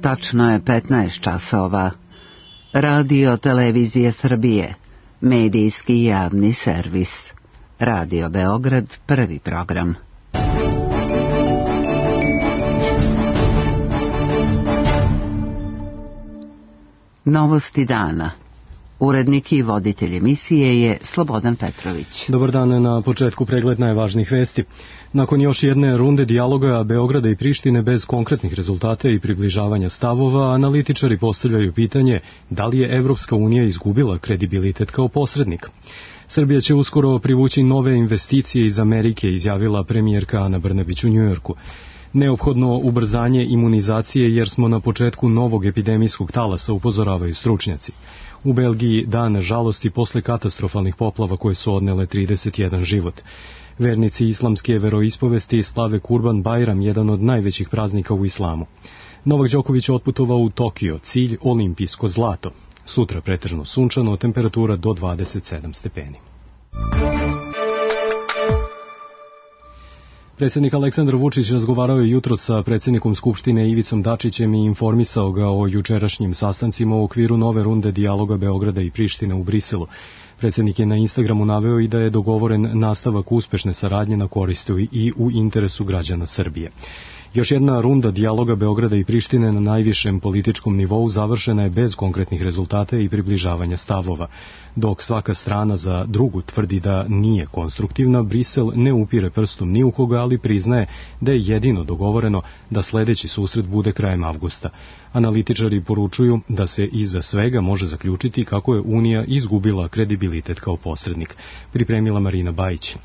Tačno je 15 časova. Radio Televizije Srbije, medijski javni servis. Radio Beograd, prvi program. Novosti dana. Urednik i voditelj emisije je Slobodan Petrović. Dobar dan, na početku pregled najvažnijih vesti. Nakon još jedne runde dijaloga Beograda i Prištine bez konkretnih rezultata i približavanja stavova, analitičari postavljaju pitanje da li je Evropska unija izgubila kredibilitet kao posrednik. Srbija će uskoro privući nove investicije iz Amerike, izjavila premijerka Ana Brnabić u Njujorku. Neophodno ubrzanje imunizacije jer smo na početku novog epidemijskog talasa, upozoravaju stručnjaci. U Belgiji dan žalosti posle katastrofalnih poplava koje su odnele 31 život. Vernici islamske veroispovesti slave Kurban Bajram, jedan od najvećih praznika u islamu. Novak Đoković otputovao u Tokio, cilj olimpijsko zlato. Sutra pretežno sunčano, temperatura do 27 stepeni. Predsjednik Aleksandar Vučić razgovarao je jutro sa predsjednikom Skupštine Ivicom Dačićem i informisao ga o jučerašnjim sastancima u okviru nove runde dijaloga Beograda i Prištine u Briselu. Predsjednik je na Instagramu naveo i da je dogovoren nastavak uspešne saradnje na koristu i u interesu građana Srbije. Još jedna runda dijaloga Beograda i Prištine na najvišem političkom nivou završena je bez konkretnih rezultata i približavanja stavova. Dok svaka strana za drugu tvrdi da nije konstruktivna, Brisel ne upire prstom ni u koga, ali priznaje da je jedino dogovoreno da sledeći susret bude krajem avgusta. Analitičari poručuju da se iza svega može zaključiti kako je Unija izgubila kredibilitet kao posrednik. Pripremila Marina Bajić.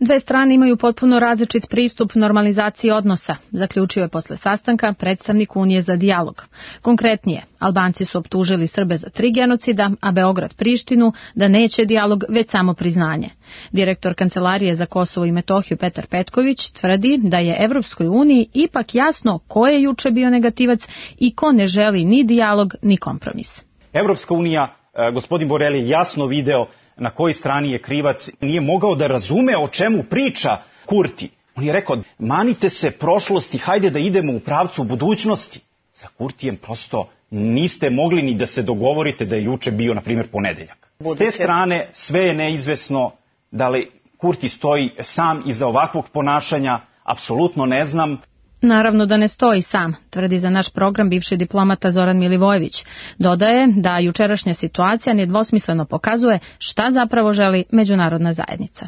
Dve strane imaju potpuno različit pristup normalizaciji odnosa, zaključio je posle sastanka predstavnik Unije za dijalog. Konkretnije, Albanci su optužili Srbe za 3 genocida, a Beograd Prištinu da neće dijalog, već samo priznanje. Direktor Kancelarije za Kosovo i Metohiju Petar Petković tvrdi da je Evropskoj uniji ipak jasno ko je juče bio negativac i ko ne želi ni dijalog ni kompromis. Evropska unija, gospodin Borel je jasno video na kojoj strani je krivac, nije mogao da razume o čemu priča Kurti. On je rekao, manite se prošlosti, hajde da idemo u pravcu budućnosti. Sa Kurtijem prosto niste mogli ni da se dogovorite da je juče bio, na primjer, ponedeljak. S te strane sve je neizvesno, da li Kurti stoji sam iza ovakvog ponašanja, apsolutno ne znam. Naravno da ne stoji sam, tvrdi za naš program bivši diplomata Zoran Milivojević. Dodaje da jučerašnja situacija nedvosmisleno pokazuje šta zapravo želi međunarodna zajednica.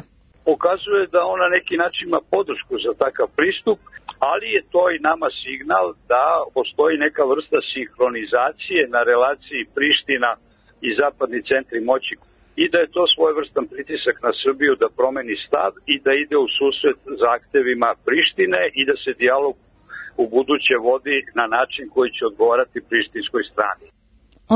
Pokazuje da ona neki način ima podršku za takav pristup, ali je to i nama signal da postoji neka vrsta sinhronizacije na relaciji Priština i zapadni centri moći i da je to svojevrstan pritisak na Srbiju da promeni stav i da ide u susret zahtevima Prištine i da se dijalog u buduće vodi na način koji će odgovarati prištinskoj strani.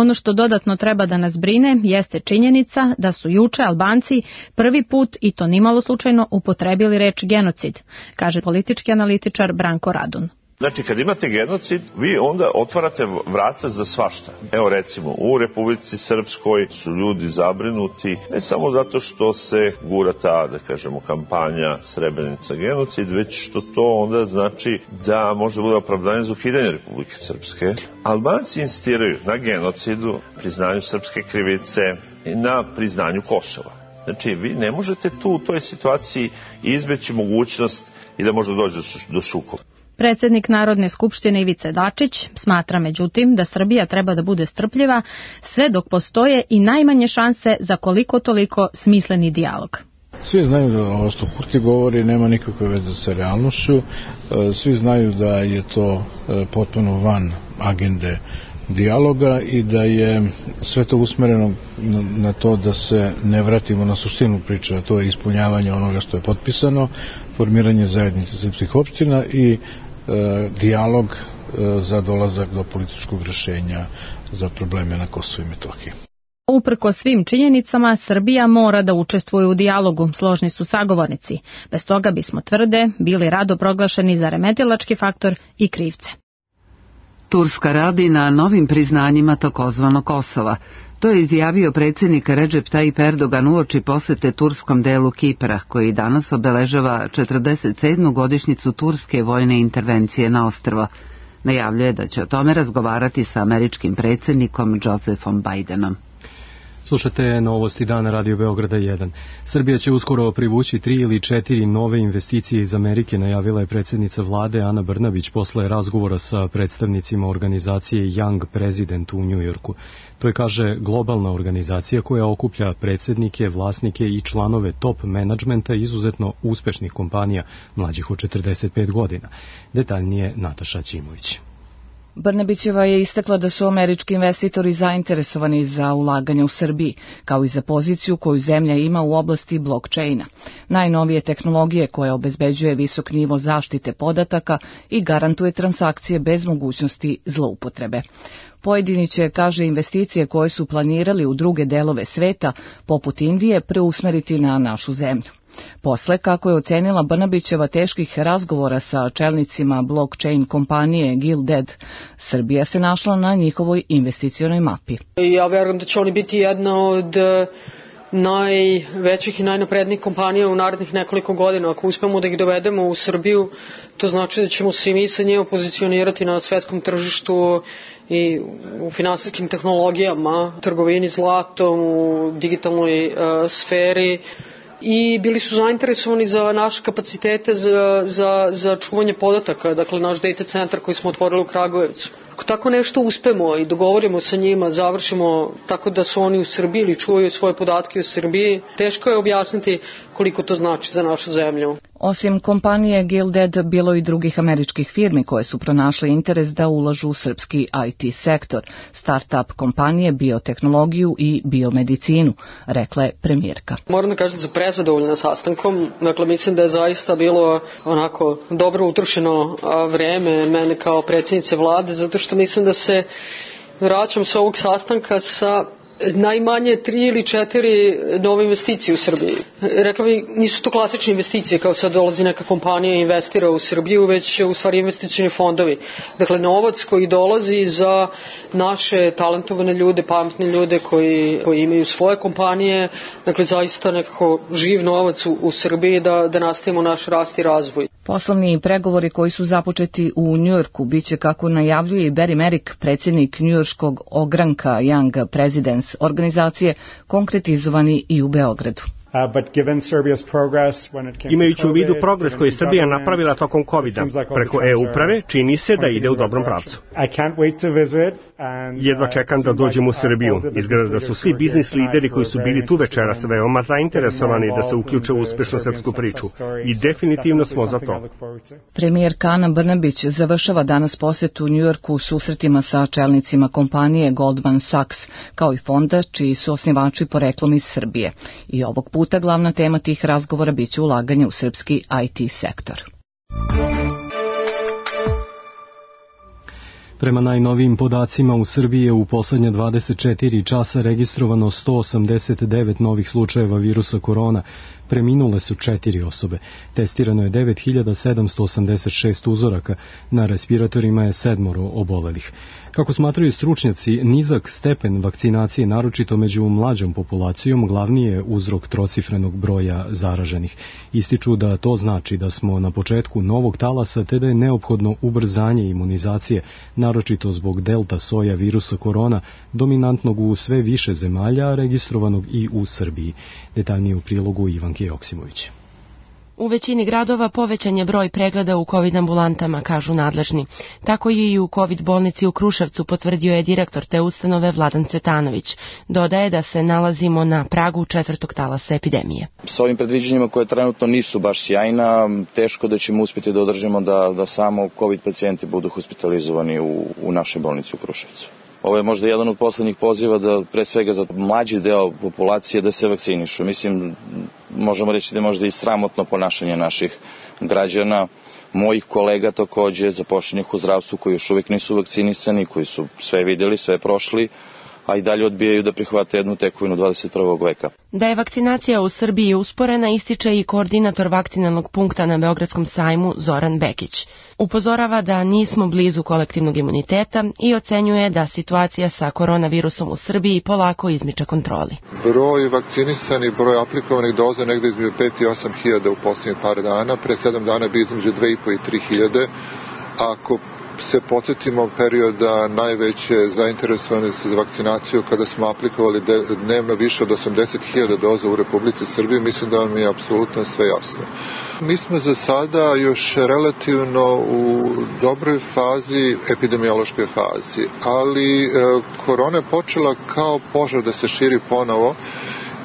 Ono što dodatno treba da nas brine jeste činjenica da su juče Albanci prvi put, i to nimalo slučajno, upotrebili reč genocid, kaže politički analitičar Branko Radun. Znači, kad imate genocid, vi onda otvarate vrata za svašta. Evo recimo, u Republici Srpskoj su ljudi zabrinuti, ne samo zato što se gura ta, da kažemo, kampanja Srebrenica genocid, već što to onda znači da može bude opravdanje za ukidanje Republike Srpske. Albanci insistiraju na genocidu, priznanju srpske krivice i na priznanju Kosova. Znači, vi ne možete tu u toj situaciji izbeći mogućnost i da možda dođe do sukoba. Predsjednik Narodne skupštine Ivica Dačić smatra međutim da Srbija treba da bude strpljiva sve dok postoje i najmanje šanse za koliko toliko smisleni dijalog. Svi znaju da ovo što Kurti govori nema nikakve veze sa realnošću, svi znaju da je to potpuno van agende dijaloga i da je sve to usmereno na to da se ne vratimo na suštinu priče, a to je ispunjavanje onoga što je potpisano, formiranje zajednice srpskih opština i dijalog za dolazak do političkog rešenja za probleme na Kosovu i Metohiji. Uprko svim činjenicama, Srbija mora da učestvuje u dijalogu, složni su sagovornici. Bez toga bismo, tvrde, bili rado proglašeni za remetilački faktor i krivce. Turska radi na novim priznanjima takozvanog Kosova. To je izjavio predsjednik Recep Tayyip Erdogan uoči posete turskom delu Kipra, koji danas obeležava 47. godišnjicu turske vojne intervencije na ostrvo. Najavljuje da će o tome razgovarati sa američkim predsjednikom Josephom Bidenom. Slušate Novosti dana Radio Beograda 1. Srbija će uskoro privući 3 ili 4 nove investicije iz Amerike, najavila je predsjednica vlade Ana Brnabić posle razgovora sa predstavnicima organizacije Young President u Njujorku. To je, kaže, globalna organizacija koja okuplja predsjednike, vlasnike i članove top menadžmenta izuzetno uspešnih kompanija mlađih od 45 godina. Detaljnije Nataša Ćimović. Brnabićeva je istakla da su američki investitori zainteresovani za ulaganje u Srbiji, kao i za poziciju koju zemlja ima u oblasti blockchaina, najnovije tehnologije koja obezbeđuje visok nivo zaštite podataka i garantuje transakcije bez mogućnosti zloupotrebe. Pojedini će, kaže, investicije koje su planirali u druge delove sveta, poput Indije, preusmeriti na našu zemlju. Posle, kako je ocenila Brnabićeva, teških razgovora sa čelnicima blockchain kompanije Gilded, Srbija se našla na njihovoj investicionoj mapi. Ja verujem da će oni biti jedna od najvećih i najnaprednijih kompanija u narednih nekoliko godina. Ako uspemo da ih dovedemo u Srbiju, to znači da ćemo se i mi sa njima pozicionirati na svetskom tržištu i u finansijskim tehnologijama, trgovini zlatom, u digitalnoj sferi. I bili su zainteresovani za naše kapacitete za čuvanje podataka, dakle naš data centar koji smo otvorili u Kragujevcu. Ako tako nešto uspemo i dogovorimo sa njima, završimo tako da su oni u Srbiji ili čuvaju svoje podatke u Srbiji, teško je objasniti koliko to znači za našu zemlju. Osim kompanije Gilded, bilo i drugih američkih firmi koje su pronašle interes da ulažu u srpski IT sektor, start-up kompanije, biotehnologiju i biomedicinu, rekla je premijerka. Moram da kažem da sam prezadovoljna sastankom, dakle mislim da je zaista bilo onako dobro utrošeno vreme mene kao predsjednice vlade, zato što mislim da se vraćam sa ovog sastanka sa najmanje 3 ili 4 nove investicije u Srbiji. Rekla bih, nisu to klasične investicije kao sad dolazi neka kompanija i investira u Srbiju, već u stvari investicioni fondovi. Dakle, novac koji dolazi za naše talentovane ljude, pametne ljude koji imaju svoje kompanije, dakle zaista nekako živ novac u Srbiji da nastavimo naš rast i razvoj. Poslovni pregovori koji su započeti u Njujorku biće, kako najavljuje i Barry Merrick, predsjednik njujorškog ogranka Young Presidents organizacije, konkretizovani i u Beogradu. Imajući u vidu progres koji je Srbija napravila tokom COVID-a preko e-uprave, čini se da ide u dobrom pravcu. Jedva čekam da dođem u Srbiju. Izgleda da su svi biznis lideri koji su bili tu večeras veoma zainteresovani da se uključe u uspešnu srpsku priču. I definitivno smo za to. Premijerka Ana Brnabić završava danas posetu u Njujorku susretima sa čelnicima kompanije Goldman Sachs, kao i fonda čiji su osnivači poreklom iz Srbije. I ovog puta glavna tema tih razgovora biće ulaganje u srpski IT sektor. Prema najnovijim podacima, u Srbiji je u poslednje 24 časa registrovano 189 novih slučajeva virusa korona. Preminule su 4 osobe. Testirano je 9786 uzoraka. Na respiratorima je 7 obolelih. Kako smatraju stručnjaci, nizak stepen vakcinacije, naročito među mlađom populacijom, glavni je uzrok trocifrenog broja zaraženih. Ističu da to znači da smo na početku novog talasa, te da je neophodno ubrzanje imunizacije, naročito zbog delta soja virusa korona, dominantnog u sve više zemalja, registrovanog i u Srbiji. Detaljnije u prilogu Ivanke Joksimović. U većini gradova povećan je broj pregleda u COVID ambulantama, kažu nadležni. Tako je i u COVID bolnici u Kruševcu, potvrdio je direktor te ustanove Vladan Cvetanović. Dodaje da se nalazimo na pragu 4. talasa epidemije. S ovim predviđanjima koje trenutno nisu baš sjajna, teško da ćemo uspjeti da održimo da samo COVID pacijenti budu hospitalizovani u našoj bolnici u Kruševcu. Ovo je možda jedan od poslednjih poziva da pre svega za mlađi deo populacije da se vakcinišu. Mislim, možemo reći da je možda i sramotno ponašanje naših građana, mojih kolega takođe, zaposlenih u zdravstvu koji još uvijek nisu vakcinisani, koji su sve vidjeli, sve prošli, a i dalje odbijaju da prihvate jednu tekovinu 21. veka. Da je vakcinacija u Srbiji usporena, ističe i koordinator vakcinalnog punkta na Beogradskom sajmu Zoran Bekić. Upozorava da nismo blizu kolektivnog imuniteta i ocenjuje da situacija sa koronavirusom u Srbiji polako izmiča kontroli. Broj vakcinisanih, broj aplikovanih doza negde između 5 i 8 hiljada u posljednjih par dana, pre 7 dana bi između 2,5 i 3 hiljade. Ako se podsjetimo perioda najveće zainteresovanosti za vakcinaciju kada smo aplikovali dnevno više od 80.000 doza u Republici Srbiji, mislim da vam je apsolutno sve jasno. Mi smo za sada još relativno u dobroj fazi, epidemiološkoj fazi, ali korona je počela kao požar da se širi ponovo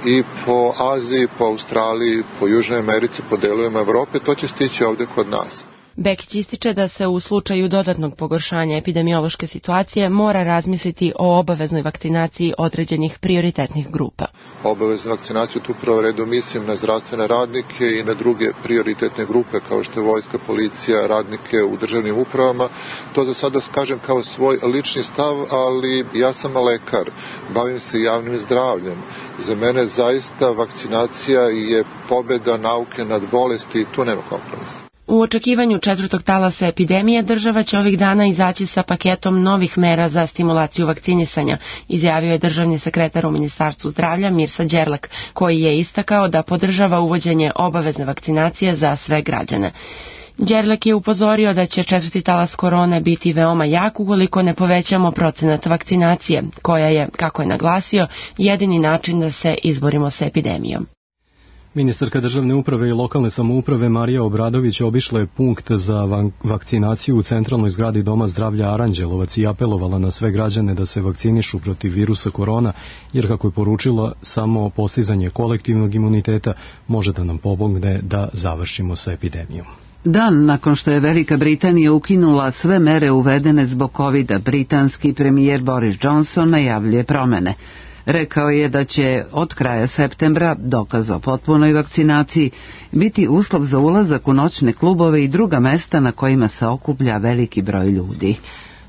i po Aziji, po Australiji, po Južnoj Americi, po delovima Evrope, to će stići ovde kod nas. Bekić ističe da se u slučaju dodatnog pogoršanja epidemiološke situacije mora razmisliti o obaveznoj vakcinaciji određenih prioritetnih grupa. Obaveznu vakcinaciju tu prvo redu mislim na zdravstvene radnike i na druge prioritetne grupe kao što je vojska, policija, radnike u državnim upravama. To za sada kažem kao svoj lični stav, ali ja sam lekar, bavim se javnim zdravljem. Za mene zaista vakcinacija je pobeda nauke nad bolesti i tu nema kompromisa. U očekivanju četvrtog talasa epidemije država će ovih dana izaći sa paketom novih mera za stimulaciju vakcinisanja, izjavio je državni sekretar u Ministarstvu zdravlja Mirsa Đerlek, koji je istakao da podržava uvođenje obavezne vakcinacije za sve građane. Đerlek je upozorio da će četvrti talas korone biti veoma jak ukoliko ne povećamo procenat vakcinacije, koja je, kako je naglasio, jedini način da se izborimo sa epidemijom. Ministarka državne uprave i lokalne samouprave Marija Obradović obišla je punkt za vakcinaciju u centralnoj zgradi Doma zdravlja Aranđelovac i apelovala na sve građane da se vakcinišu protiv virusa korona, jer kako je poručila, samo postizanje kolektivnog imuniteta može da nam pomogne da završimo sa epidemijom. Dan nakon što je Velika Britanija ukinula sve mere uvedene zbog covida, britanski premijer Boris Johnson najavljuje promene. Rekao je da će od kraja septembra dokaz o potpunoj vakcinaciji biti uslov za ulazak u noćne klubove i druga mesta na kojima se okuplja veliki broj ljudi.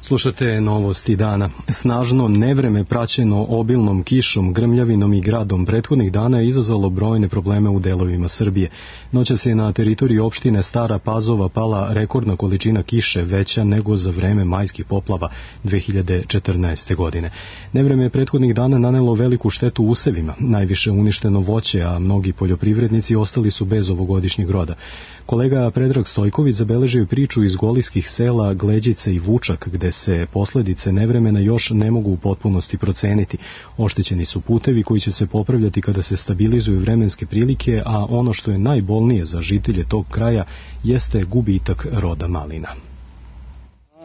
Slušate novosti dana. Snažno nevreme praćeno obilnom kišom, grmljavinom i gradom prethodnih dana je izazvalo brojne probleme u delovima Srbije. Noćas je na teritoriji opštine Stara Pazova pala rekordna količina kiše, veća nego za vreme majskih poplava 2014. godine. Nevreme je prethodnih dana nanelo veliku štetu usevima, najviše uništeno voće, a mnogi poljoprivrednici ostali su bez ovogodišnjeg roda. Kolega Predrag Stojković zabeležio priču iz golijskih sela Gleđice i Vučak, gde se posledice nevremena još ne mogu u potpunosti proceniti. Oštećeni su putevi koji će se popravljati kada se stabilizuju vremenske prilike, a ono što je najbolnije za žitelje tog kraja jeste gubitak roda malina.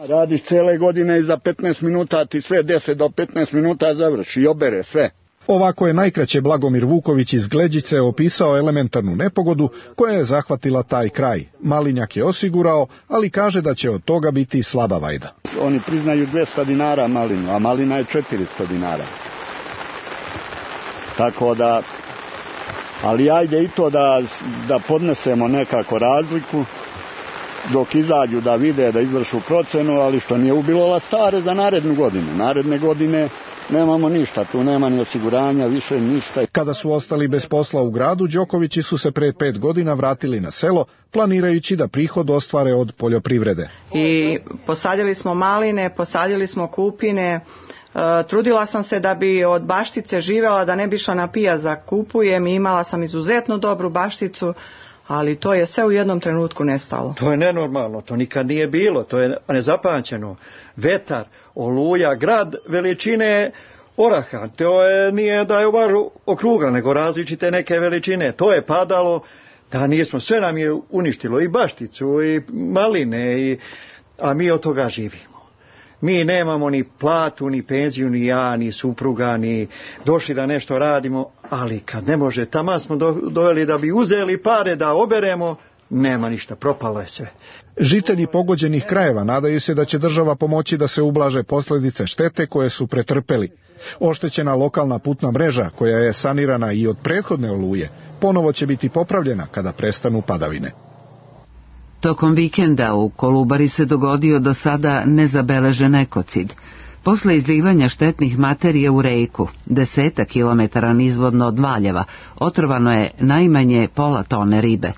Radiš cele godine i za 15 minuta ti sve 10 do 15 minuta završi i obere sve. Ovako je najkraće Blagomir Vuković iz Gleđice opisao elementarnu nepogodu koja je zahvatila taj kraj. Malinjak je osigurao, ali kaže da će od toga biti slaba vajda. Oni priznaju 200 dinara malinu, a malina je 400 dinara. Tako da, ali ajde i to da podnesemo nekako razliku, dok izađu da vide, da izvršu procenu, ali što nije ubilo stare za narednu godinu. Naredne godine nemamo ništa, tu nema ni osiguranja, više ništa. Kada su ostali bez posla u gradu, Đokovići su se pre 5 godina vratili na selo, planirajući da prihod ostvare od poljoprivrede. I posadili smo maline, posadili smo kupine, trudila sam se da bi od baštice živela, da ne bi išla na pijac da kupujem i imala sam izuzetno dobru bašticu, ali to je sve u jednom trenutku nestalo. To je nenormalno, to nikad nije bilo, to je nezapamćeno. Vetar, oluja, grad veličine oraha, to nije da je baš okruga, nego različite neke veličine. To je padalo, da nismo, sve nam je uništilo, i bašticu, i maline, a mi od toga živimo. Mi nemamo ni platu, ni penziju, ni ja, ni supruga, ni došli da nešto radimo, ali kad ne može, tamo smo doveli da bi uzeli pare da oberemo, nema ništa, propalo je sve. Žitelji pogođenih krajeva nadaju se da će država pomoći da se ublaže posljedice štete koje su pretrpeli. Oštećena lokalna putna mreža, koja je sanirana i od prethodne oluje, ponovo će biti popravljena kada prestanu padavine. Tokom vikenda u Kolubari se dogodio do sada nezabeležen ekocid. Posle izlivanja štetnih materija u reku, 10 kilometara nizvodno od Valjeva, otrovano je najmanje pola tone ribe.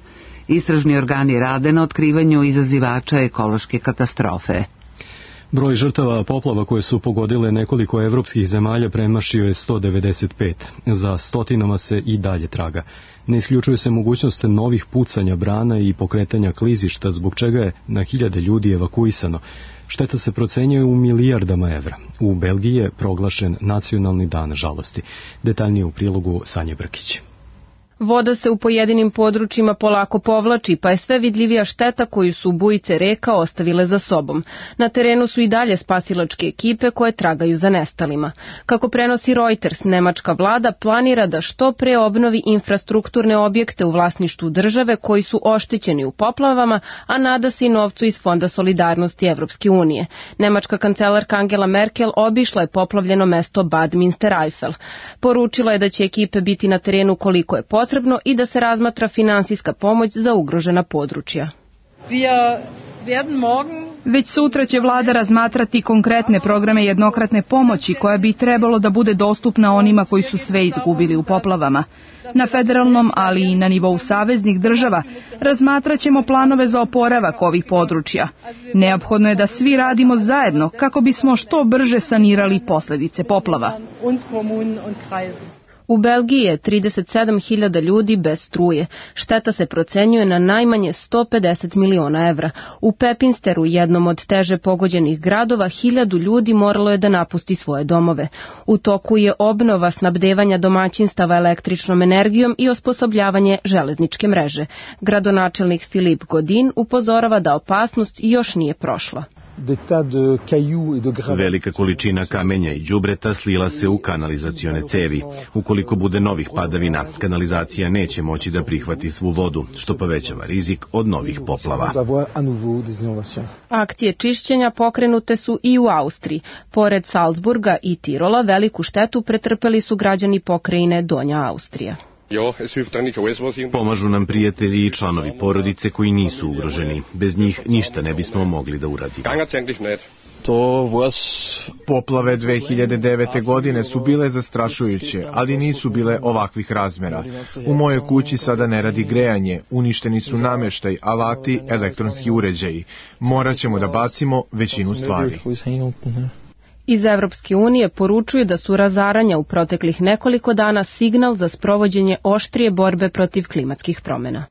Istražni organi rade na otkrivanju izazivača ekološke katastrofe. Broj žrtava poplava koje su pogodile nekoliko evropskih zemalja premašio je 195. Za stotinama se i dalje traga. Ne isključuje se mogućnost novih pucanja brana i pokretanja klizišta, zbog čega je na hiljade ljudi evakuisano. Šteta se procenjuje u milijardama evra. U Belgiji je proglašen nacionalni dan žalosti. Detaljnije u prilogu Sanje Brkić. Voda se u pojedinim područjima polako povlači, pa je sve vidljivija šteta koju su bujice reka ostavile za sobom. Na terenu su i dalje spasilačke ekipe koje tragaju za nestalima. Kako prenosi Reuters, nemačka vlada planira da što pre obnovi infrastrukturne objekte u vlasništvu države koji su oštećeni u poplavama, a nada se i novcu iz Fonda solidarnosti Evropske unije. Nemačka kancelarka Angela Merkel obišla je poplavljeno mesto Bad Münstereifel. Poručila je da će ekipe biti na terenu koliko je potrebno i da se razmatra finansijska pomoć za ugrožena područja. Već sutra će vlada razmatrati konkretne programe jednokratne pomoći koja bi trebalo da bude dostupna onima koji su sve izgubili u poplavama. Na federalnom, ali i na nivou saveznih država razmatraćemo planove za oporavak ovih područja. Neophodno je da svi radimo zajedno kako bismo što brže sanirali posljedice poplava. U Belgiji je 37.000 ljudi bez struje. Šteta se procenjuje na najmanje 150 miliona evra. U Pepinsteru, jednom od teže pogođenih gradova, 1000 ljudi moralo je da napusti svoje domove. U toku je obnova snabdevanja domaćinstava električnom energijom i osposobljavanje železničke mreže. Gradonačelnik Filip Godin upozorava da opasnost još nije prošla. Velika količina kamenja i đubreta slila se u kanalizacione cevi. Ukoliko bude novih padavina, kanalizacija neće moći da prihvati svu vodu, što povećava rizik od novih poplava. Akcije čišćenja pokrenute su i u Austriji. Pored Salzburga i Tirola, veliku štetu pretrpeli su građani pokrajine Donja Austrija. Pomažu nam prijatelji i članovi porodice koji nisu ugroženi. Bez njih ništa ne bismo mogli da uradimo. Poplave 2009. godine su bile zastrašujuće, ali nisu bile ovakvih razmera. U mojoj kući sada ne radi grejanje, uništeni su namještaj, alati, elektronski uređaji. Morat ćemo da bacimo većinu stvari. Iz Evropske unije poručuju da su razaranja u proteklih nekoliko dana signal za sprovođenje oštrije borbe protiv klimatskih promjena.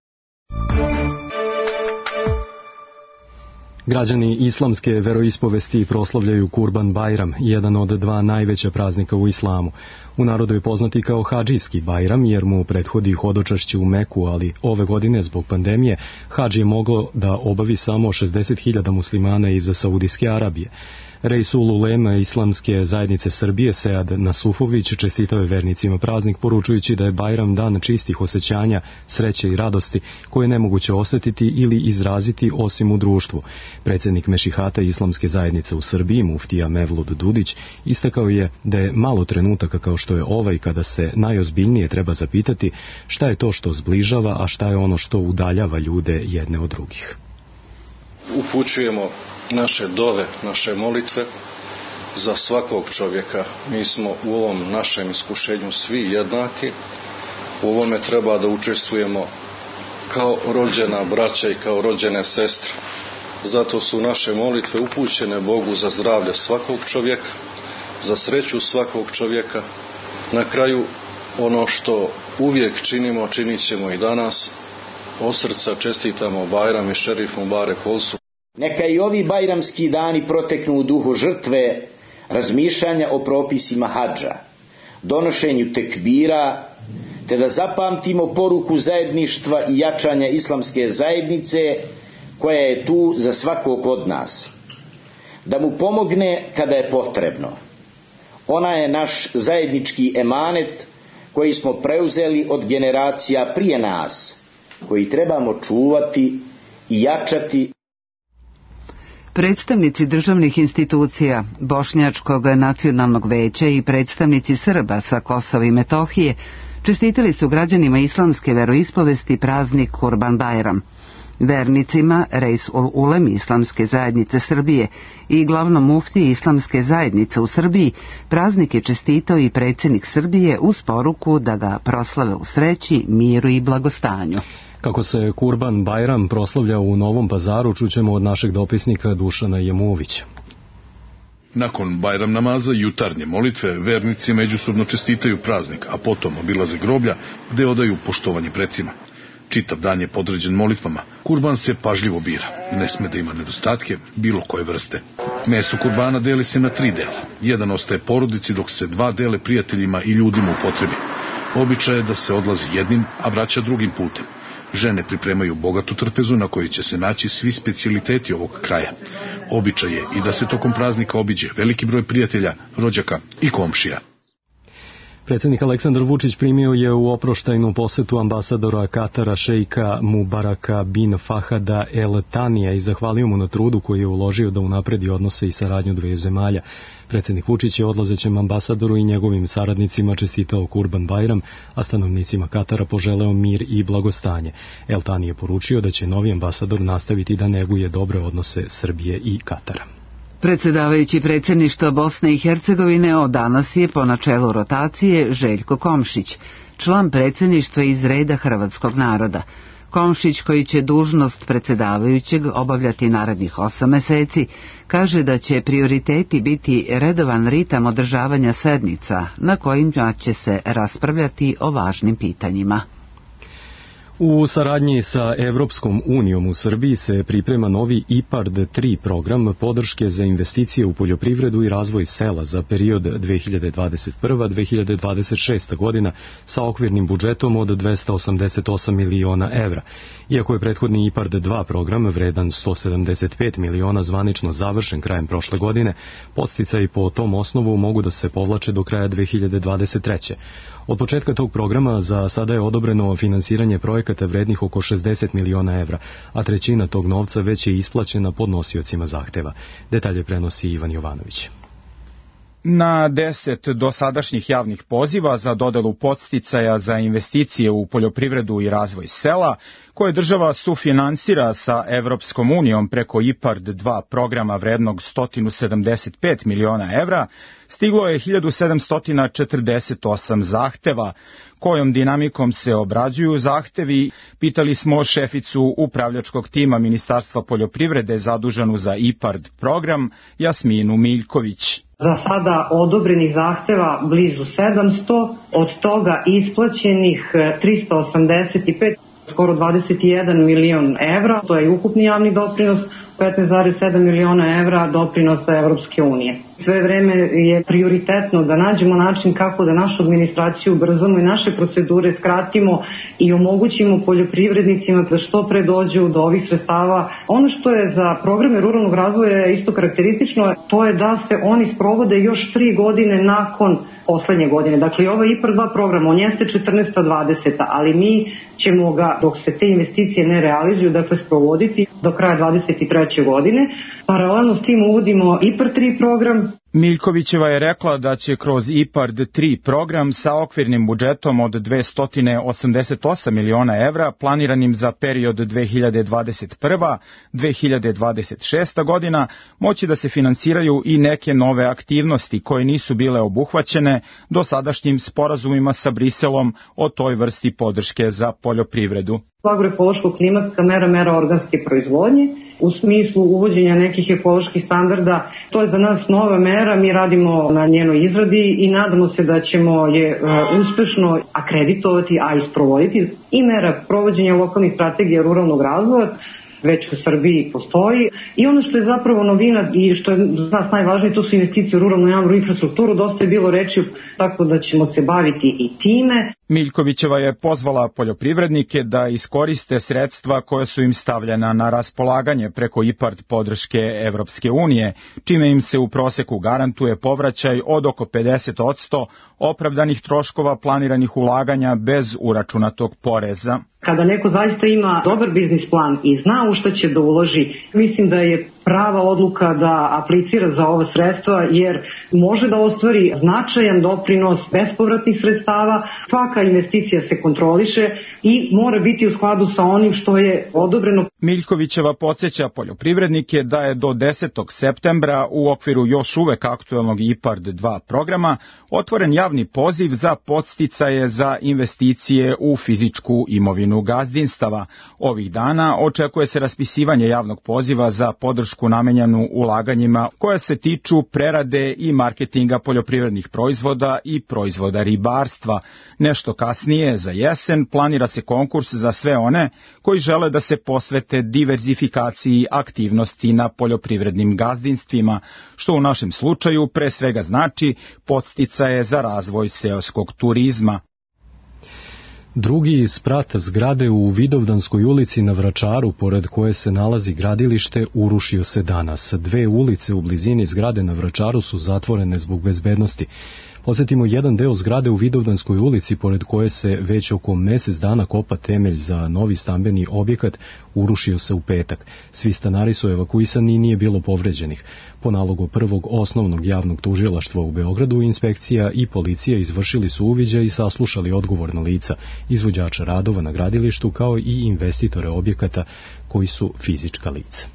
Građani islamske veroispovesti proslavljaju Kurban Bajram, jedan od dva najveća praznika u islamu. U narodu je poznati kao hadžijski Bajram jer mu prethodi hodočašće u Meku, ali ove godine zbog pandemije hadž je moglo da obavi samo 60.000 muslimana iz Saudijske Arabije. Reisul Ulema Islamske zajednice Srbije Sead Nasufović čestitao je vernicima praznik poručujući da je Bajram dan čistih osjećanja, sreće i radosti koje je nemoguće osjetiti ili izraziti osim u društvu. Predsjednik Mešihata Islamske zajednice u Srbiji, muftija Mevlud Dudić, istakao je da je malo trenutaka kao što je ovaj kada se najozbiljnije treba zapitati šta je to što zbližava, a šta je ono što udaljava ljude jedne od drugih. Upućujemo naše dove, naše molitve za svakog čovjeka. Mi smo u ovom našem iskušenju svi jednaki. U ovome treba da učestvujemo kao rođena braća i kao rođene sestre. Zato su naše molitve upućene Bogu za zdravlje svakog čovjeka, za sreću svakog čovjeka. Na kraju ono što uvijek činimo, činit ćemo i danas. Od srca čestitamo Bajram i Šerif Mubarek Olsu. Neka i ovi bajramski dani proteknu u duhu žrtve, razmišljanja o propisima hadža, donošenju tekbira, te da zapamtimo poruku zajedništva i jačanja islamske zajednice koja je tu za svakog od nas. Da mu pomogne kada je potrebno. Ona je naš zajednički emanet koji smo preuzeli od generacija prije nas, koji trebamo čuvati i jačati. Predstavnici državnih institucija, Bošnjačkog nacionalnog veća i predstavnici Srba sa Kosova i Metohije čestitali su građanima islamske veroispovesti praznik Kurban Bajram. Vernicima Reisul Ulem Islamske zajednice Srbije i glavnom muftiji Islamske zajednice u Srbiji praznik je čestitao i predsjednik Srbije uz poruku da ga proslave u sreći, miru i blagostanju. Kako se Kurban Bajram proslavlja u Novom Pazaru, čućemo od našeg dopisnika Dušana Jemovića. Nakon Bajram namaza i jutarnje molitve, vernici međusobno čestitaju praznik, a potom obilaze groblja gde odaju poštovanje precima. Čitav dan je podređen molitvama. Kurban se pažljivo bira. Ne sme da ima nedostatke bilo koje vrste. Meso kurbana deli se na 3 dela. Jedan ostaje porodici, dok se 2 dele prijateljima i ljudima u potrebi. Običaj je da se odlazi jednim, a vraća drugim putem. Žene pripremaju bogatu trpezu na kojoj će se naći svi specijaliteti ovog kraja. Običaj je i da se tokom praznika obiđe veliki broj prijatelja, rođaka i komšija. Predsjednik Aleksandar Vučić primio je u oproštajnu posetu ambasadora Katara šejka Mubaraka bin Fahada El Tanija i zahvalio mu na trudu koji je uložio da unapredi odnose i saradnju dveju zemalja. Predsjednik Vučić je odlazećem ambasadoru i njegovim saradnicima čestitao Kurban Bajram, a stanovnicima Katara poželeo mir i blagostanje. El Tani je poručio da će novi ambasador nastaviti da neguje dobre odnose Srbije i Katara. Predsjedavajući predsjedništva Bosne i Hercegovine od danas je po načelu rotacije Željko Komšić, član predsjedništva iz reda hrvatskog naroda. Komšić, koji će dužnost predsjedavajućeg obavljati narednih 8 meseci, kaže da će prioriteti biti redovan ritam održavanja sednica na kojima će se raspravljati o važnim pitanjima. U saradnji sa Evropskom unijom u Srbiji se priprema novi IPARD 3 program podrške za investicije u poljoprivredu i razvoj sela za period 2021-2026. godina sa okvirnim budžetom od 288 miliona evra. Iako je prethodni IPARD 2 program vredan 175 miliona zvanično završen krajem prošle godine, podsticaji po tom osnovu mogu da se povlače do kraja 2023. Od početka tog programa za sada je odobreno finansiranje projekata vrednih oko 60 miliona evra, a trećina tog novca već je isplaćena podnosiocima zahteva. Detalje prenosi Ivan Jovanović. Na 10 dosadašnjih javnih poziva za dodelu podsticaja za investicije u poljoprivredu i razvoj sela, koje država sufinansira sa Evropskom unijom preko IPARD 2 programa vrednog 175 miliona evra, stiglo je 1748 zahteva. Kojom dinamikom se obrađuju zahtevi, pitali smo šeficu upravljačkog tima Ministarstva poljoprivrede zaduženu za IPARD program, Jasminu Miljković. Za sada odobrenih zahteva blizu 700, od toga isplaćenih 385, skoro 21 milion evra, to je ukupni javni doprinos, 15,7 miliona evra doprinosa Evropske unije. Sve vreme je prioritetno da nađemo način kako da našu administraciju ubrzamo i naše procedure skratimo i omogućimo poljoprivrednicima da što pre dođu do ovih sredstava. Ono što je za programe ruralnog razvoja isto karakteristično, to je da se oni sprovode još 3 godine nakon poslednje godine. Dakle, ovo je IPARD 2 program, on jeste 14-20, ali mi ćemo ga, dok se te investicije ne realizuju, dakle sprovoditi do kraja 23. godine. Paralelno s tim uvodimo IPARD 3 program. Miljkovićeva je rekla da će kroz IPARD 3 program sa okvirnim budžetom od 288 miliona evra planiranim za period 2021-2026. godina moći da se finansiraju i neke nove aktivnosti koje nisu bile obuhvaćene dosadašnjim sporazumima sa Briselom o toj vrsti podrške za poljoprivredu. Agroekološko-klimatska mera organske proizvodnje u smislu uvođenja nekih ekoloških standarda. To je za nas nova mera, mi radimo na njenoj izradi i nadamo se da ćemo je uspešno akreditovati, a i sprovoditi. I mera provođenja lokalnih strategija ruralnog razvoja već u Srbiji postoji. I ono što je zapravo novina i što je za nas najvažnije, to su investicije u ruralnu javnu infrastrukturu. Dosta je bilo reči, tako da ćemo se baviti i time. Miljkovićeva je pozvala poljoprivrednike da iskoriste sredstva koja su im stavljena na raspolaganje preko IPARD podrške Evropske unije, čime im se u proseku garantuje povraćaj od oko 50% opravdanih troškova planiranih ulaganja bez uračunatog poreza. Kada neko zaista ima dobar biznis plan i zna u šta će da uloži, mislim da je prava odluka da aplicira za ova sredstva, jer može da ostvari značajan doprinos bespovratnih sredstava. Svaka investicija se kontroliše i mora biti u skladu sa onim što je odobreno. Miljkovićeva podsjeća poljoprivrednike da je do 10. septembra u okviru još uvek aktuelnog IPARD 2 programa otvoren javni poziv za podsticaje za investicije u fizičku imovinu gazdinstava. Ovih dana očekuje se raspisivanje javnog poziva za podršku namenjenu ulaganjima koja se tiču prerade i marketinga poljoprivrednih proizvoda i proizvoda ribarstva. Nešto kasnije, za jesen, planira se konkurs za sve one koji žele da se posvete diverzifikaciji aktivnosti na poljoprivrednim gazdinstvima, što u našem slučaju pre svega znači podsticaje za razvoj seoskog turizma. Drugi sprat zgrade u Vidovdanskoj ulici na Vračaru, pored koje se nalazi gradilište, urušio se danas. 2 ulice u blizini zgrade na Vračaru su zatvorene zbog bezbednosti. Podsjetimo, jedan deo zgrade u Vidovdanskoj ulici, pored koje se već oko mesec dana kopa temelj za novi stambeni objekat, urušio se u petak. Svi stanari su evakuisani i nije bilo povređenih. Po nalogu prvog osnovnog javnog tužilaštva u Beogradu, inspekcija i policija izvršili su uviđaj i saslušali odgovorna lica, izvođača radova na gradilištu, kao i investitore objekata koji su fizička lica.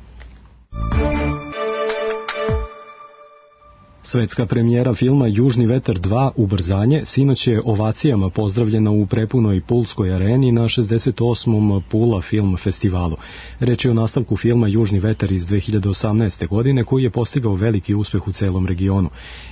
Svetska premijera filma Južni vetar 2 Ubrzanje sinoć je ovacijama pozdravljena u prepunoj Pulskoj areni na 68. Pula film festivalu. Reč je o nastavku filma Južni vetar iz 2018. godine koji je postigao veliki uspeh u celom regionu.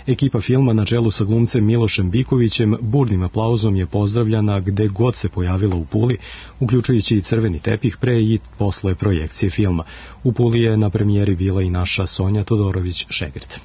Ekipa filma na čelu sa glumcem Milošem Bikovićem burnim aplauzom je pozdravljana gde god se pojavila u Puli, uključujući i crveni tepih pre i posle projekcije filma. U Puli je na premijeri bila i naša Sonja Todorović-Šegrt.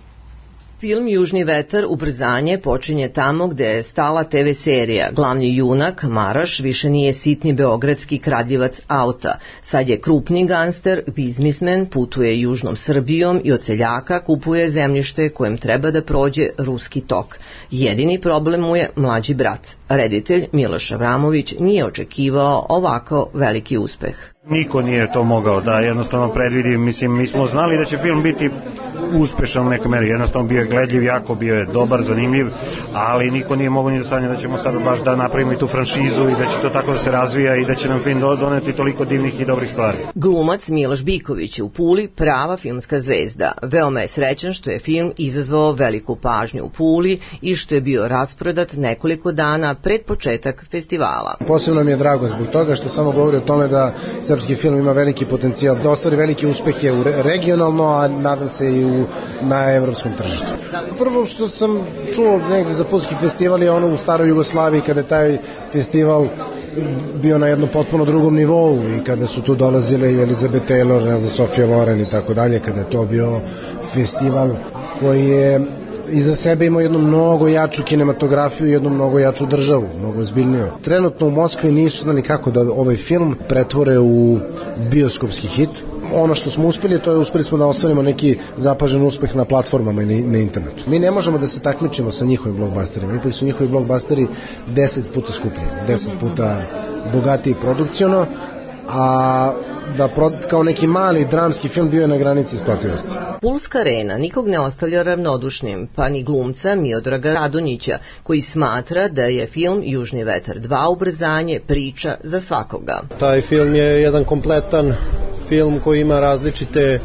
Film Južni vetar Ubrzanje počinje tamo gde je stala TV serija. Glavni junak, Maraš, više nije sitni beogradski kradljivac auta. Sad je krupni gangster, biznismen, putuje južnom Srbijom i od seljaka kupuje zemljište kojem treba da prođe ruski tok. Jedini problem mu je mlađi brat. Reditelj Miloš Avramović nije očekivao ovako veliki uspeh. Niko nije to mogao da jednostavno predvidi, mislim, mi smo znali da će film biti uspešan u nekoj meri, jednostavno bio je gledljiv, jako bio je dobar, zanimljiv, ali niko nije mogao ni da sanja da ćemo sad baš da napravimo i tu franšizu i da će to tako da se razvija i da će nam film doneti toliko divnih i dobrih stvari. Glumac Miloš Biković je u Puli prava filmska zvezda. Veoma je srećan što je film izazvao veliku pažnju u Puli i što je bio rasprodat nekoliko dana pred početak festivala. Posebno mi je drago zbog toga što samo govori o tome da srpski film ima veliki potencijal, da ostvari veliki uspeh je regionalno, a nadam se i na evropskom tržištu. Prvo što sam čuo negde za Pulski festival je ono u staroj Jugoslaviji, kada je taj festival bio na jednom potpuno drugom nivou i kada su tu dolazile i Elizabeth Taylor, Sofia Loren i tako dalje, kada je to bio festival koji je iza sebe imao jednu mnogo jaču kinematografiju i jednu mnogo jaču državu, mnogo ozbiljniju. Trenutno u Moskvi nisu znali kako da ovaj film pretvore u bioskopski hit. Ono što smo uspeli, to je uspeli smo da ostvarimo neki zapažen uspeh na platformama i na internetu. Mi ne možemo da se takmičimo sa njihovim blockbusterima, ipak su njihovi blockbusteri 10 puta skuplji, 10 puta bogatiji produkciono, a da kao neki mali dramski film bio je na granici isplativosti. Pulska arena nikog ne ostavlja ravnodušnim, pa ni glumca Miodraga Radonjića, koji smatra da je film Južni vetar 2 Ubrzanje priča za svakoga. Taj film je jedan kompletan film koji ima različite,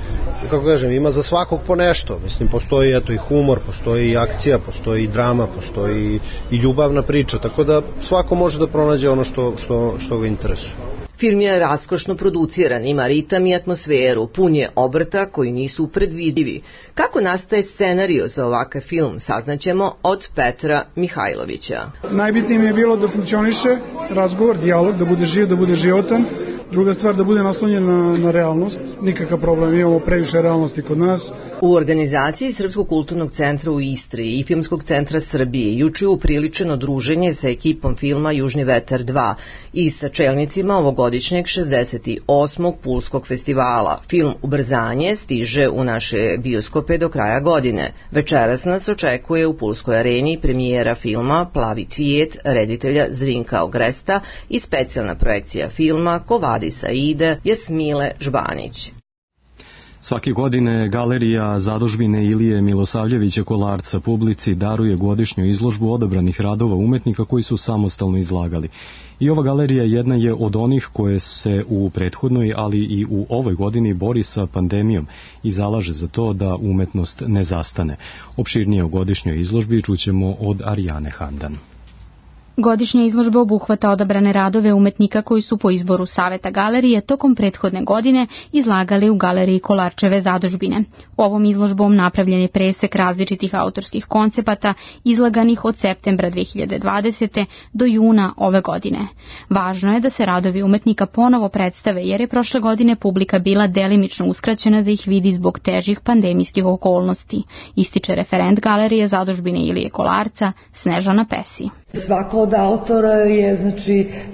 kako kažem, ima za svakog po nešto. Mislim, postoji eto i humor, postoji i akcija, postoji i drama, postoji i ljubavna priča, tako da svako može da pronađe ono što ga interesuje. Film je raskošno produciran, ima ritam i atmosferu, pun je obrta koji nisu predvidivi. Kako nastaje scenario za ovakav film, saznaćemo od Petra Mihajlovića. Najbitnije mi je bilo da funkcioniše razgovor, dijalog, da bude živ, da bude životan. Druga stvar, da bude naslonjen na realnost, nikakav problem, imamo previše realnosti kod nas. U organizaciji Srpskog kulturnog centra u Istri i Filmskog centra Srbije juče je upriličeno druženje sa ekipom filma Južni vetar 2 i sa čelnicima ovogodišnjeg 68. Pulskog festivala. Film Ubrzanje stiže u naše bioskope do kraja godine. Večeras nas očekuje u Pulskoj areni premijera filma Plavi cvijet reditelja Zrinka Ogresta i specijalna projekcija filma Kovadi Saide Jasmile Žbanić. Svake godine Galerija zadužbine Ilije Milosavljevića Kolarca publici daruje godišnju izložbu odabranih radova umetnika koji su samostalno izlagali. I ova galerija jedna je od onih koje se u prethodnoj, ali i u ovoj godini bori sa pandemijom i zalaže za to da umetnost ne zastane. Opširnije o godišnjoj izložbi čućemo od Arijane Handan. Godišnja izložba obuhvata odabrane radove umetnika koji su po izboru Saveta galerije tokom prethodne godine izlagali u Galeriji Kolarčeve zadužbine. Ovom izložbom napravljen je presek različitih autorskih koncepata izlaganih od septembra 2020. do juna ove godine. Važno je da se radovi umetnika ponovo predstave jer je prošle godine publika bila delimično uskraćena da ih vidi zbog težih pandemijskih okolnosti, ističe referent Galerije zadužbine Ilije Kolarca Snežana Pesi. Svako od autora je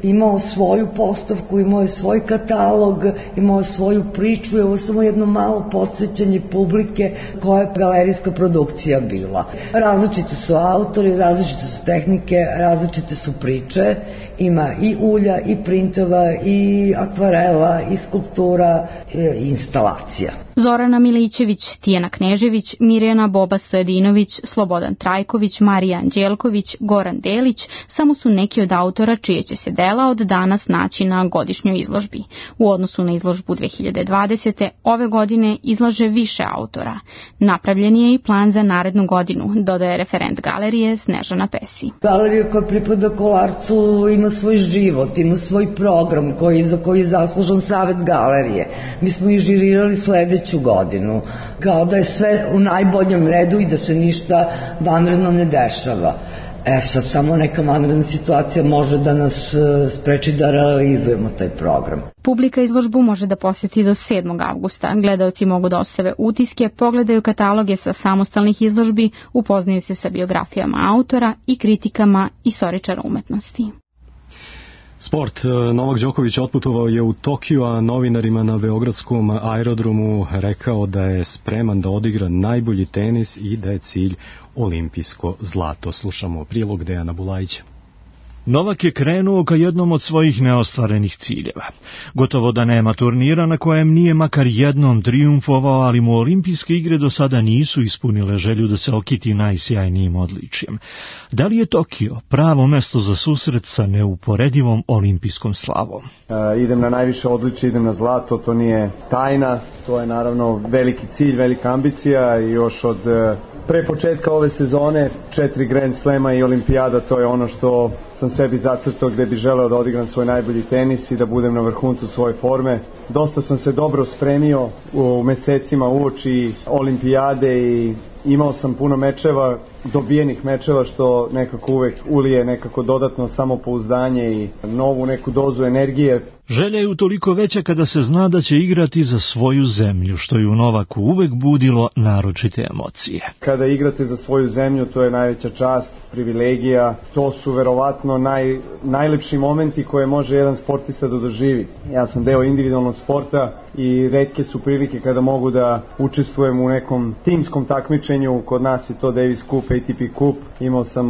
imao svoju postavku, imao je svoj katalog, imao je svoju priču i ovo samo jedno malo podsjećanje publike koja je galerijska produkcija bila. Različiti su autori, različite su tehnike, različite su priče, ima i ulja, i printova, i akvarela, i skulptura, i instalacija. Zorana Milićević, Tijana Knežević, Mirjana Boba Stojedinović, Slobodan Trajković, Marija Anđelković, Goran Delić samo su neki od autora čije će se dela od danas naći na godišnjoj izložbi. U odnosu na izložbu 2020. ove godine izlaže više autora. Napravljen je i plan za narednu godinu, dodaje referent galerije Snežana Pesi. Galerija koja pripada Kolarcu ima svoj život, ima svoj program za koji je zaslužan Savet galerije. Mi smo i žirirali sledeću godinu, kao da je sve u najboljem redu i da se ništa vanredno ne dešava. Sad samo neka vanredna situacija može da nas spreči da realizujemo taj program. Publika izložbu može da poseti do 7. avgusta. Gledaoci mogu da ostave utiske, pogledaju kataloge sa samostalnih izložbi, upoznaju se sa biografijama autora i kritikama istoričara umetnosti. Sport. Novak Đoković otputovao je u Tokiju, a novinarima na beogradskom aerodromu rekao da je spreman da odigra najbolji tenis i da je cilj olimpijsko zlato. Slušamo prilog Dejana Bulajića. Novak je krenuo ka jednom od svojih neostvarenih ciljeva. Gotovo da nema turnira na kojem nije makar jednom trijumfovao, ali mu olimpijske igre do sada nisu ispunile želju da se okiti najsjajnijim odličjem. Da li je Tokio pravo mesto za susret sa neuporedivom olimpijskom slavom? Idem na najviše odličje, idem na zlato, to nije tajna, to je naravno veliki cilj, velika ambicija i još od pre početka ove sezone 4 Grand Slema i olimpijada, to je ono što sam sebi zacrtao gde bi želeo da odigram svoj najbolji tenis i da budem na vrhuncu svoje forme. Dosta sam se dobro spremio u mesecima uoči olimpijade i imao sam puno mečeva, dobijenih mečeva, što nekako uvek ulije nekako dodatno samopouzdanje i novu neku dozu energije. Želja je utoliko veća kada se zna da će igrati za svoju zemlju, što je u Novaku uvek budilo naročite emocije. Kada igrate za svoju zemlju, to je najveća čast, privilegija, to su verovatno najlepši momenti koje može jedan sportista da doživi. Ja sam deo individualnog sporta i retke su prilike kada mogu da učestvujem u nekom timskom takmičenju. Kod nas je to Davis Cup, ATP Cup. Imao sam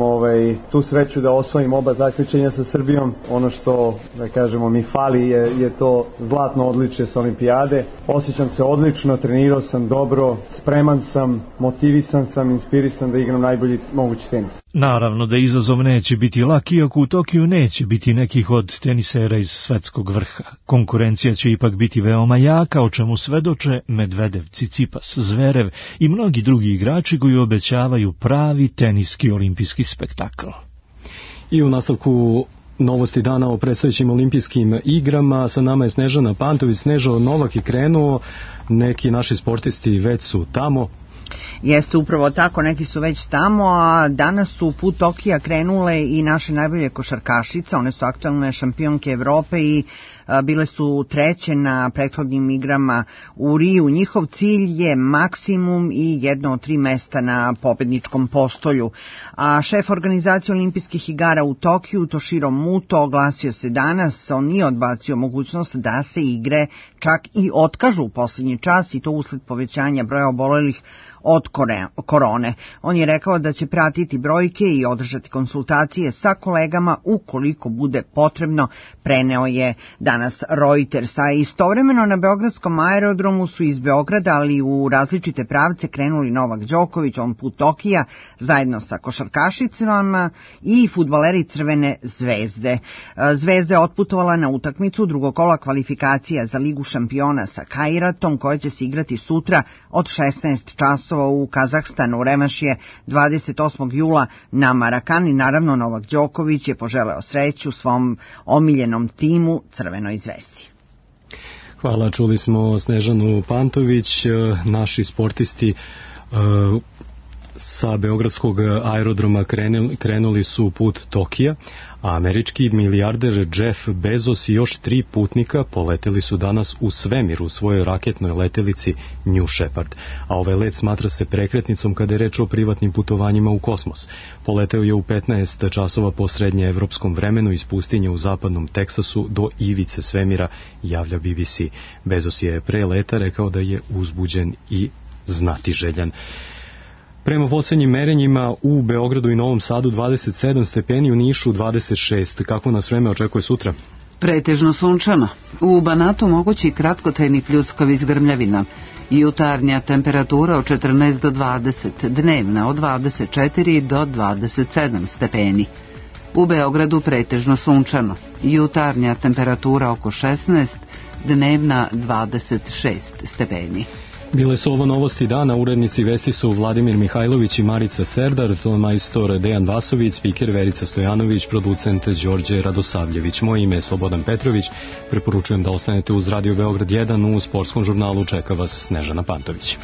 tu sreću da osvojim oba takmičenja sa Srbijom. Ono što, da kažemo, mi fali je to zlatno odličje sa olimpijade. Osjećam se odlično, trenirao sam dobro, spreman sam, motivisan sam, inspirisan da igram najbolji mogući tenis. Naravno da izazov neće biti lak, iako u Tokiju neće biti nekih od tenisera iz svetskog vrha. Konkurencija će ipak biti veoma jaka, o čemu svedoče Medvedev, Cicipas, Zverev i mnogi drugi igrači koji obećavaju pravi teniski olimpijski spektakl. I u nastavku novosti dana o predstojećim olimpijskim igrama. Sa nama je Snežana Pantović. Snežo, Novak je krenuo, neki naši sportisti već su tamo. Jeste upravo tako, neki su već tamo, a danas su put Tokija krenule i naše najbolje košarkašice, one su aktualne šampionke Evrope i bile su treće na prethodnim igrama u Riju. Njihov cilj je maksimum i jedno od 3 mesta na pobedničkom postolju. A šef organizacije olimpijskih igara u Tokiju, Toshiro Muto, oglasio se danas, on nije odbacio mogućnost da se igre čak i otkažu u posljednji čas i to usled povećanja broja obolelih od korone. On je rekao da će pratiti brojke i održati konsultacije sa kolegama ukoliko bude potrebno, preneo je danas danas Reuters. A istovremeno na beogradskom aerodromu su iz Beograda, ali u različite pravce krenuli Novak Đoković, on put Tokija, zajedno sa košarkašicama i fudbaleri Crvene zvezde. Zvezda je otputovala na utakmicu drugog kola kvalifikacija za Ligu šampiona sa Kairatom, koja će se igrati sutra od 16 časova u Kazahstanu. Revanš je 28. jula na Marakani. Naravno, Novak Đoković je poželeo sreću svom omiljenom timu Crvenoj zvezdi. Hvala, čuli smo Snežanu Pantović. Naši sportisti sa beogradskog aerodroma krenuli su put Tokija, a američki milijarder Jeff Bezos i još 3 putnika poleteli su danas u svemir u svojoj raketnoj letelici New Shepard, a ovaj let smatra se prekretnicom kada je reč o privatnim putovanjima u kosmos. Poleteo je u 15 časova po srednjeevropskom vremenu iz pustinje u zapadnom Teksasu do ivice svemira, javlja BBC. Bezos je pre leta rekao da je uzbuđen i znatiželjan. Prema posljednjim merenjima u Beogradu i Novom Sadu 27 stepeni, u Nišu 26. Kako nas vreme očekuje sutra? Pretežno sunčano. U Banatu mogući kratkotrajni pljuskovi s grmljavina. Jutarnja temperatura od 14 do 20, dnevna od 24 do 27 stepeni. U Beogradu pretežno sunčano. Jutarnja temperatura oko 16, dnevna 26 stepeni. Bile su ovo novosti dana, urednici vesti su Vladimir Mihajlović i Marica Serdar, tonmajstor Dejan Vasović, spiker Verica Stojanović, producent Đorđe Radosavljević. Moje ime je Slobodan Petrović, preporučujem da ostanete uz Radio Beograd 1, u sportskom žurnalu čeka vas Snežana Pantović.